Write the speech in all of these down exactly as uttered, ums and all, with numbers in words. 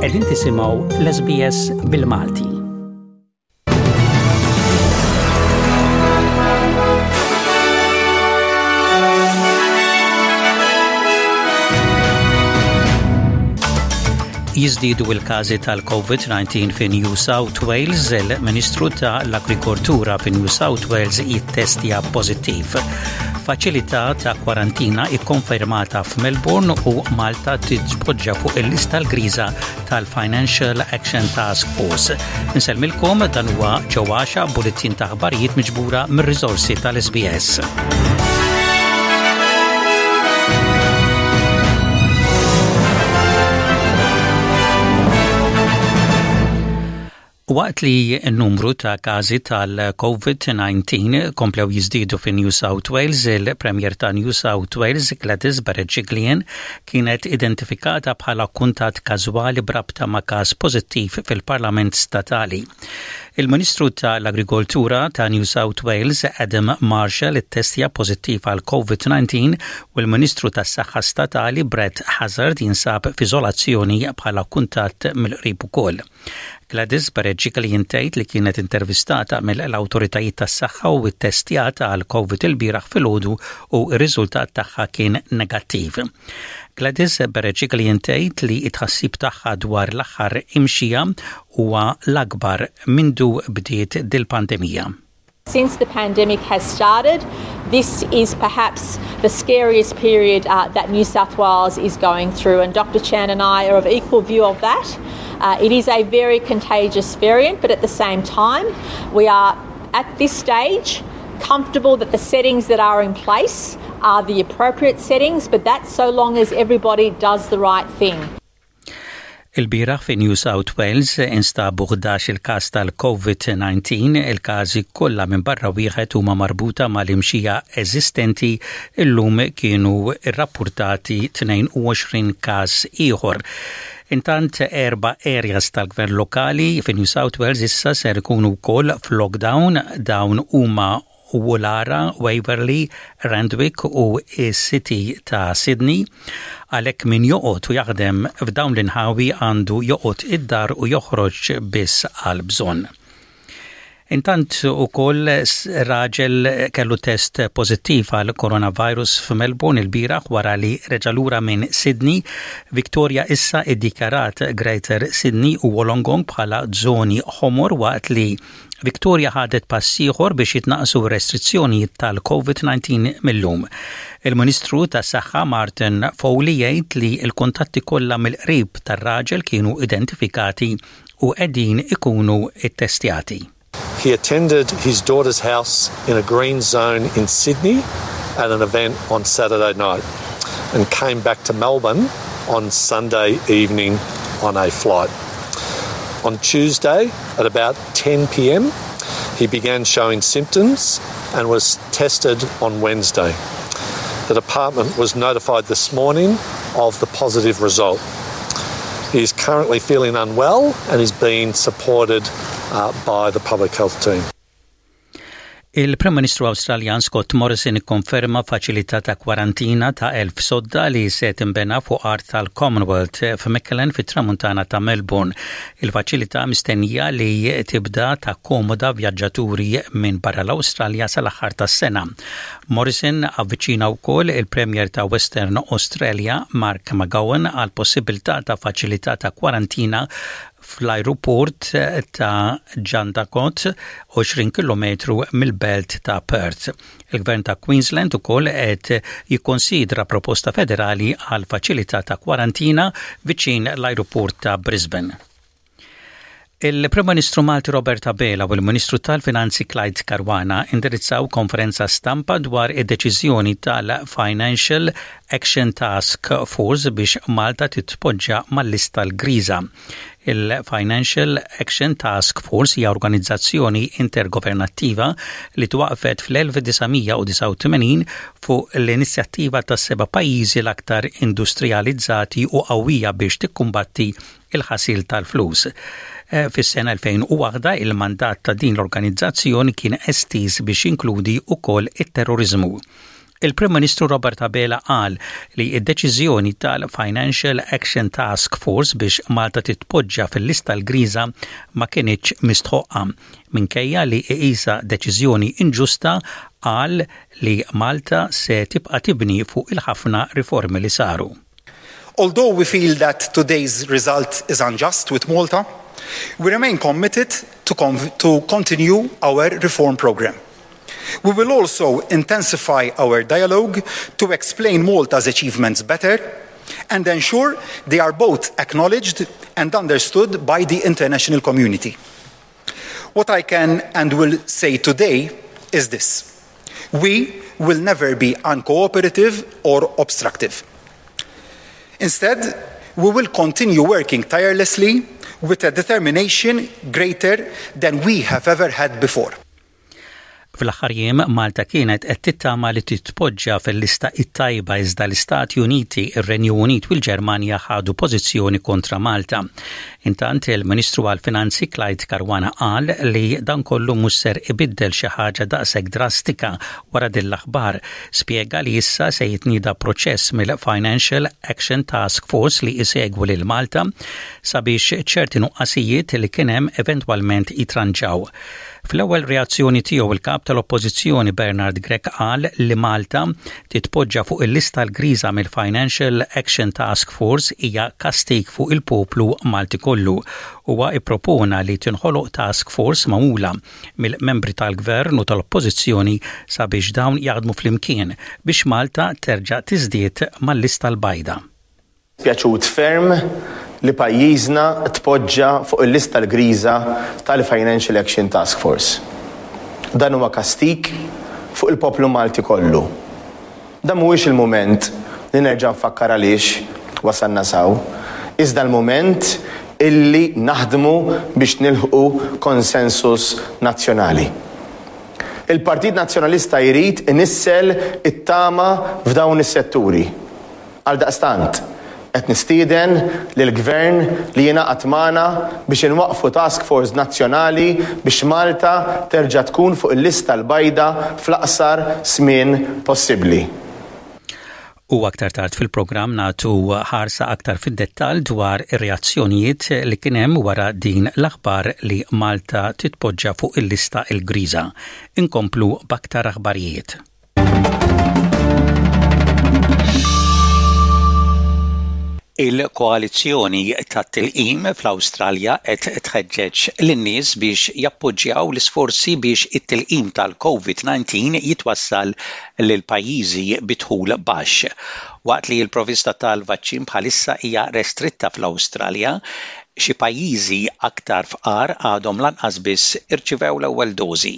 Qegħdin tisimgħu l-S B S bil-Malti. Jiżdiedu il-każi tal-COVID nineteen fi New South Wales, il-Ministru ta' l-Agrikoltura fi New South Wales jittestja pożittiv. Faċilità ta' kwarantina ikkonfermata f'Melbourne u Malta titpoġġa fuq il-lista l-griża tal-Financial Action Task Force. Insellmilkom, dan huwa ġewwaxa bulletin ta' aħbarijiet miġbura mir-riżorsi tal-S B S. Waqt li n-numru ta' każi tal-COVID nineteen komplew jiżdiedu fi New South Wales, il-Premier ta' New South Wales, Gladys Berejiklian, kienet identifikata bħala kuntat każwali brabta ma' każ pożittiv fil-Parlament Statali. Il-Ministru tal-Agrikoltura ta' New South Wales, Adam Marshall, ittestja pożittiv għal COVID nineteen u l-Ministru tas-Saħħa Statali Brett Hazzard jinsab f'iżolazzjoni bħala kuntat mill-qrib ukoll. Gladys Berejiklian tgħid li kienet intervistata mill-awtoritajiet tas-saħħa u ttestjata għal COVID il-bieraħ filgħodu u r-riżultat tagħha kien negattiv. Gladys Berejiklian tgħid li t-tħassib tagħha dwar l-aħħar imxija huwa l-akbar mindu bdiet dil-pandemija. Since the pandemic has started, this is perhaps the scariest period uh, that New South Wales is going through, and Doctor Chan and I are of equal view of that. Uh, it is a very contagious variant, but at the same time, we are at this stage comfortable that the settings that are in place are the appropriate settings, but that's so long as everybody does the right thing. Il-bieraħ fi New South Wales instabu ħdax il-każ tal-COVID nineteen, il-każi kollha minn barra wieħed huma marbuta mal-imxija eżistenti. Illum kienu rrappurtati tnejn u għoxrin każ ieħor. Intant, erba' areas tal-gvern lokali fi New South Wales issa ser ikunu wkoll f'lockdown. Dawn huma Woollahra, Waverley, Randwick u City ta' Sydney. Għalhekk min joqgħod u jaħdem f'dawn l-inħawi għandu joqgħod id-dar u joħroġ biss għal bżonn. Intant ukoll raġel kellu test pożittiv għal coronavirus f'Melbourne il-bieraħ wara li reġa' lura minn Sydney. Victoria issa iddikjarat Greater Sydney u Wollongong bħala żoni ħomor waqt li Victoria ħadet pass ieħor biex jitnaqsu restrizzjonijiet tal-COVID nineteen mill-lum. Il-Ministru tas-Saħħa Martin Foley jgħid li l-kuntatti kollha mill-qrib tar-raġel kienu identifikati u qegħdin ikunu ittestjati. He attended his daughter's house in a green zone in Sydney at an event on Saturday night and came back to Melbourne on Sunday evening on a flight. On Tuesday at about ten p m, he began showing symptoms and was tested on Wednesday. The department was notified this morning of the positive result. He is currently feeling unwell and is being supported uh, by the public health team. Il-Prim Ministru Awstraljan Scott Morrison ikkonferma faċilità ta' kwarantina ta' elf sodda li se tinbena fuq art tal-Commonwealth f'Mickleham fit-tramuntana ta' Melbourne. Il-faċilità mistennija li tibda takkomoda vjaġġaturi minn barra l-Awstralja sal-aħħar tas-sena. Morrison avviċina wkoll il-Premier ta' Western Australia Mark McGowan għal possibilità ta' faċilità ta' kwarantina fl-aeroport ta' Jandakot, għoxrin kilometru mill-belt ta' Perth. Il-gvern ta' Queensland ukoll qed jikkonsidra proposta federali għal faċilità ta' kwarantina viċin l-aeroport ta' Brisbane. Il-Prim Ministru Malti Robert Abela u l-Ministru tal-Finanzi Clyde Caruana indirizzaw konferenza stampa dwar id-deċiżjoni tal-Financial Action Task Force biex Malta titpoġġa mal-lista l-griża. Il-Financial Action Task Force hija organizzazzjoni intergovernattiva li twaqfet fl-elf disa' mija u disgħa u tmenin fuq l-inizjattiva ta' seba' pajjiżi l-aktar industrializzati u qawwija biex tikkumbatti il-ħasil tal-flus. Eh, fis-sena elfejn u waħda il-mandat ta' din l-organizzazzjoni kien estiż biex jinkludi wkoll it-terrorizmu. Il-Prim Ministru Robert Abela qal li id-deċiżjoni tal-Financial Action Task Force biex Malta titpoġġa fil-lista l-griża ma kinitx mistħoqqa. Minkejja li iqisha deċiżjoni inġusta, qal li Malta se tibqa' tibni fuq il-ħafna riformi li saru. Although we feel that today's result is unjust with Malta, we remain committed to, to continue our reform program. We will also intensify our dialogue to explain Malta's achievements better and ensure they are both acknowledged and understood by the international community. What I can and will say today is this: we will never be uncooperative or obstructive. Instead, we will continue working tirelessly with a determination greater than we have ever had before. Fl-aħħar jiem, Malta kienet qed tittama li titpoġġa fil-lista it-tajba, iżda l-Istati Uniti, ir-Renju Unit u l-Ġermanja ħadu pożizzjoni kontra Malta. Intant, il-Ministru għal-Finanzi Clyde Caruana qal li dan kollu mhux ser ibiddel xi ħaġa daqshekk drastika wara din l-aħbar. Spjega li issa se jitnieda proċess mill-Financial Action Task Force li isegwu lil Malta sabiex ċerti nuqqasijiet li kien hemm eventwalment jitranġaw. Fl-ewwel reazzjoni tiegħu, il-kap tal-Oppożizzjoni Bernard Grech qal li Malta titpoġġa fuq il-lista l-griża mill-Financial Action Task Force hija kastik fuq il-poplu Malti kollu. Huwa ippropona li tinħoloq task force magħmula mill-membri tal-gvern u tal-Oppożizzjoni sabiex dawn jaħdmu flimkien biex Malta terġa' tiżdied mal-lista l-bajda. Pjaċut ferm li pajjiżna tpoġġa fuq il-lista l-griża tal-Financial Action Task Force. Dan huwa kastik fuq il-poplu Malti kollu. Dan mhuwiex il-mument li nerġa' nfakkar għaliex wasalna s'hawn, iżda l-mument illi naħdmu biex nilħqu konsensus nazzjonali. Il-Partit Nazzjonalista jrid inissel it-tama f'dawn is-setturi. Għaldaqstant, qed nistieden lill-gvern li jingħaqad magħna biex inwaqfu task force nazzjonali biex Malta terġa' tkun fuq il-lista l-bajda fl-aqsar żmien possibbli. U aktar tard fil-programm nagħtu ħarsa aktar fid-dettall dwar ir-reazzjonijiet li kien hemm wara din l-aħbar li Malta titpoġġa fuq il-lista il-griża. Inkomplu b'aktar aħbarijiet. Il-koalizzjoni tat-tilqim fl-Awstralja qed tħeġġeġ lin-nies biex jappoġġjaw l-isforzi biex it-tilqim tal-COVID nineteen jitwassal lil pajjiżi bi dħul baxx. Waqt li l-provista tal-vaċċin bħalissa hija restritta fl-Awstralja, xi pajjiżi aktar fqar għadhom lanqas biss irċivew l-ewwel dożi.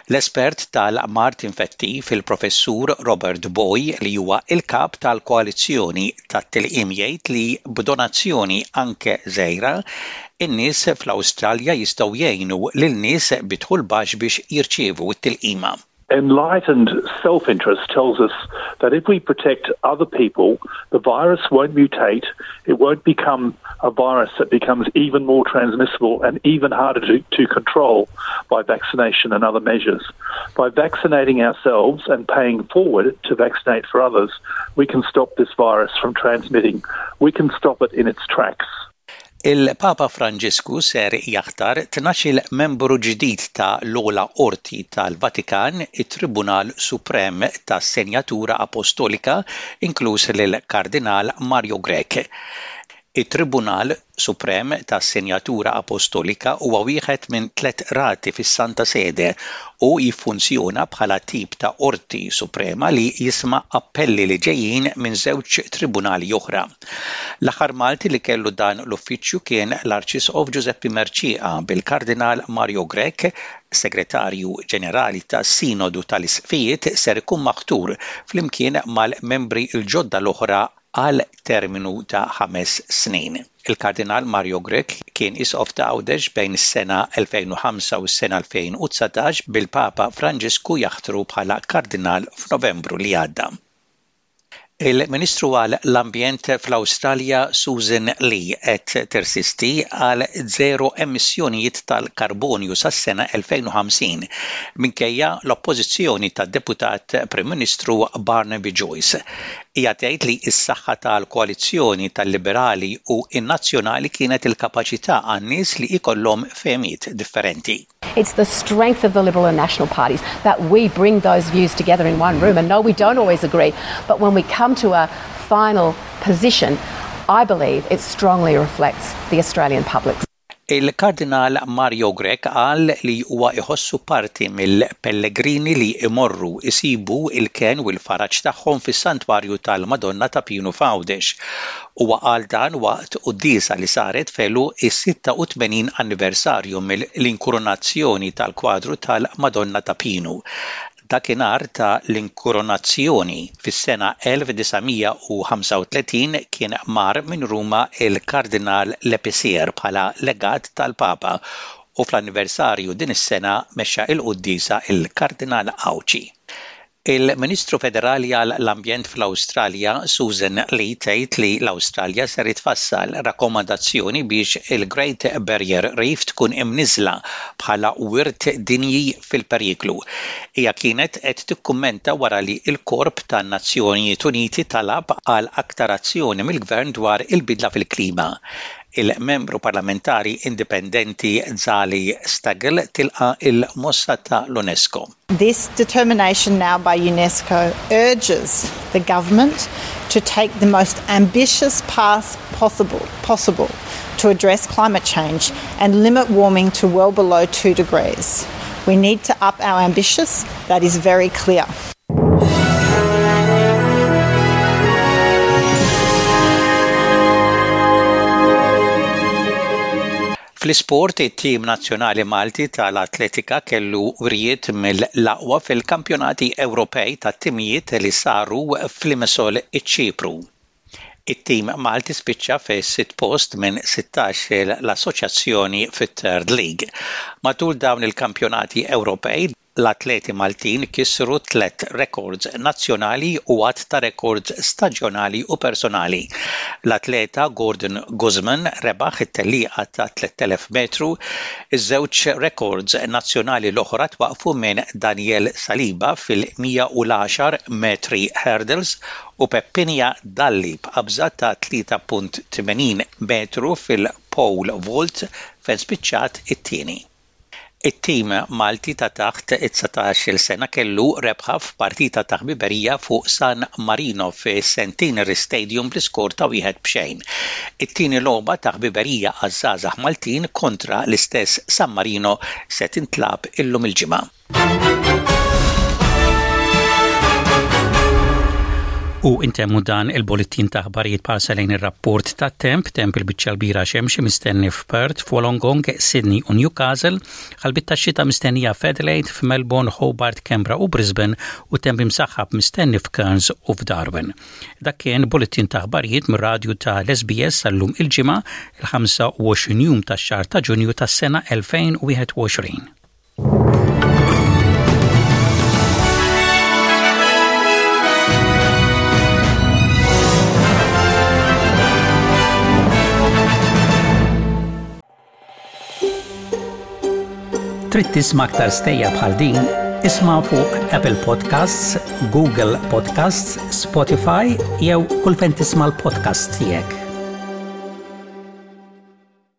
L-espert tal-mard infettiv, il-professur Robert Booy, li huwa il-kap tal-koalizzjoni tat-tilqim, jgħid li b'donazzjoni anke żgħira, in-nies fl-Awstralja jistgħu jgħinu lil nies bi dħul baxx biex jirċievu t-tilqima. Enlightened self interest tells us that if we protect other people, the virus won't mutate, it won't become a virus that becomes even more transmissible and even harder to, to control by vaccination and other measures. By vaccinating ourselves and paying forward to vaccinate for others, we can stop this virus from transmitting. We can stop it in its tracks. Il-Papa Franġisku ser jaħtar tnax-il membru ġdid ta' l-ogħla qorti tal-Vatikan, it-Tribunal Suprem tas-Senjatura Apostolika, inkluż lil-Kardinal Mario Grech. It-Tribunal Suprem tas-Senjatura Apostolika huwa wieħed minn tliet qrati fis-Santa Sede u jiffunzjona bħala tip ta' qorti suprema li jisma' appelli li ġejjin minn żewġ tribunali oħra. L-aħħar Malti li kellu dan l-uffiċċju kien l-Arċisqof Giuseppe Mercieca, bil-Kardinal Mario Grech, Segretarju Ġenerali tas-Sinodu tal-Isqfijiet, ser ikun maħtur flimkien mal-membri l-ġodda l-oħra għal terminu ta' ħames snin. Il-Kardinal Mario Grech kien isqof ta' Għawdex bejn is-sena elfejn u ħamsa u s-sena elfejn u dsatax, bil-Papa Franġisku jaħtru bħala kardinal f'Novembru li għadda. Il-Ministru għal l-Ambjent fl-Awstralja Susan Lee qed tersisti għal zero emissjonijiet tal-karbonju sas-sena elfejn u ħamsin minkejja l-oppożizzjoni tad-Deputat Prim Ministru Barnaby Joyce. Hija tgħid li s-saħħa tal-koalizzjoni tal-Liberali u n-Nazzjonali kienet il-kapaċità għan-nies li ikollhom fehmiet differenti. It's the strength of the Liberal and National parties that we bring those views together in one room. And no, we don't always agree, but when we come to a final position, I believe it strongly reflects the Australian public. Il-Kardinal Mario Grech qal li huwa iħossu parti mill-pellegrini li imorru isibu il-ken u l-faraġ tagħhom fis-Santwarju tal-Madonna ta' Pinu f'Għawdex. Huwa qal dan waqt quddiesa li saret f'għeluq is-sitta u tmenin anniversarju mill-inkoronazzjoni tal-kwadru tal-Madonna ta' Pinu. Dakinhar ta' l-inkoronazzjoni fis-sena elf disa' mija u ħamsa u tletin kien mar minn Ruma il-Kardinal Lepicier bħala legat tal-Papa u fl-anniversarju din is-sena mexxa il-quddiesa il-Kardinal Għawdxi. Il-Ministru Federali għal l-Ambjent fl-Awstralja Susan Lee tgħid li l-Awstralja ser tfassal rakkomandazzjoni biex il-Great Barrier Reef tkun imniżla bħala wirt dinji fil-periklu. Hija kienet qed tikkummenta wara li l-Korp tan-Nazzjonijiet Uniti talab għal aktar azzjoni mill-gvern dwar il-bidla fil-klima. Il-membru parlamentari indipendenti Zali Steggall tilqa il-mossa ta' l-UNESCO. This determination now by UNESCO urges the government to take the most ambitious path possible, possible to address climate change and limit warming to well below two degrees. We need to up our ambitions, that is very clear. Fl-isport, it-tim nazzjonali Malti tal-atletika kellu wrijiet mill-aqwa fil-kampjonati Ewropej tat-timijiet li saru f'Limassol, iċ-Ċipru. It-tim Malti spiċċa fi sitt post minn sittax l-assoċjazzjoni fit-Third League. Matul dawn il-kampjonati Ewropej, l-atleti Maltin kisru tlet records nazzjonali u għadd ta' records staġjonali u personali. L-atleta Gordon Guzman rebaħ it-tellieqa ta' tliet elef metru, iż-żewġ records nazzjonali l-oħra twaqfu minn Daniel Saliba fil-mija u għaxar metri hurdles u Peppinia Dalli b'qabża ta' tlieta punt tmenin metru fil-pole vault fejn spiċċat it-tieni. It-tim Malti ta' taħt it-dsatax-il sena kellu rebħa f'partita ta' ħbiberija fuq San Marino fi Centenary Stadium bl-iskor ta' wieħed b'xejn. It-tieni logħba ta' ħbiberija għaż-żgħażagħ Maltin kontra l-istess San Marino se tintlagħab illum il-Ġimgħa. U intemmu dan il-bullettin ta' aħbarijiet b'ħarsa lejn ir-rapport ta' temp, temp il-biċċa l-kbira xemxi mistenni f'Perth, f'Wollongong, Sydney u Newcastle, ħalbiet ta' xita mistennija f'Adelaide, f'Melbourne, Hobart, Canberra u Brisbane u temp imsaħħab mistenni f'Cairns u f'Darwin. Dak kien bullettin ta' aħbarijiet mir-radju ta' l-S B S għal-lum il-Ġimgħa, il-ħamsa u għoxrin jum tax-xahar ta' Ġunju tas-sena elfejn u wieħed u għoxrin. Trid tisma' aktar stejjer bħal din? Isma' fuq Apple Podcasts, Google Podcasts, Spotify jew kull fejn tisma' l-podcast tiegħek.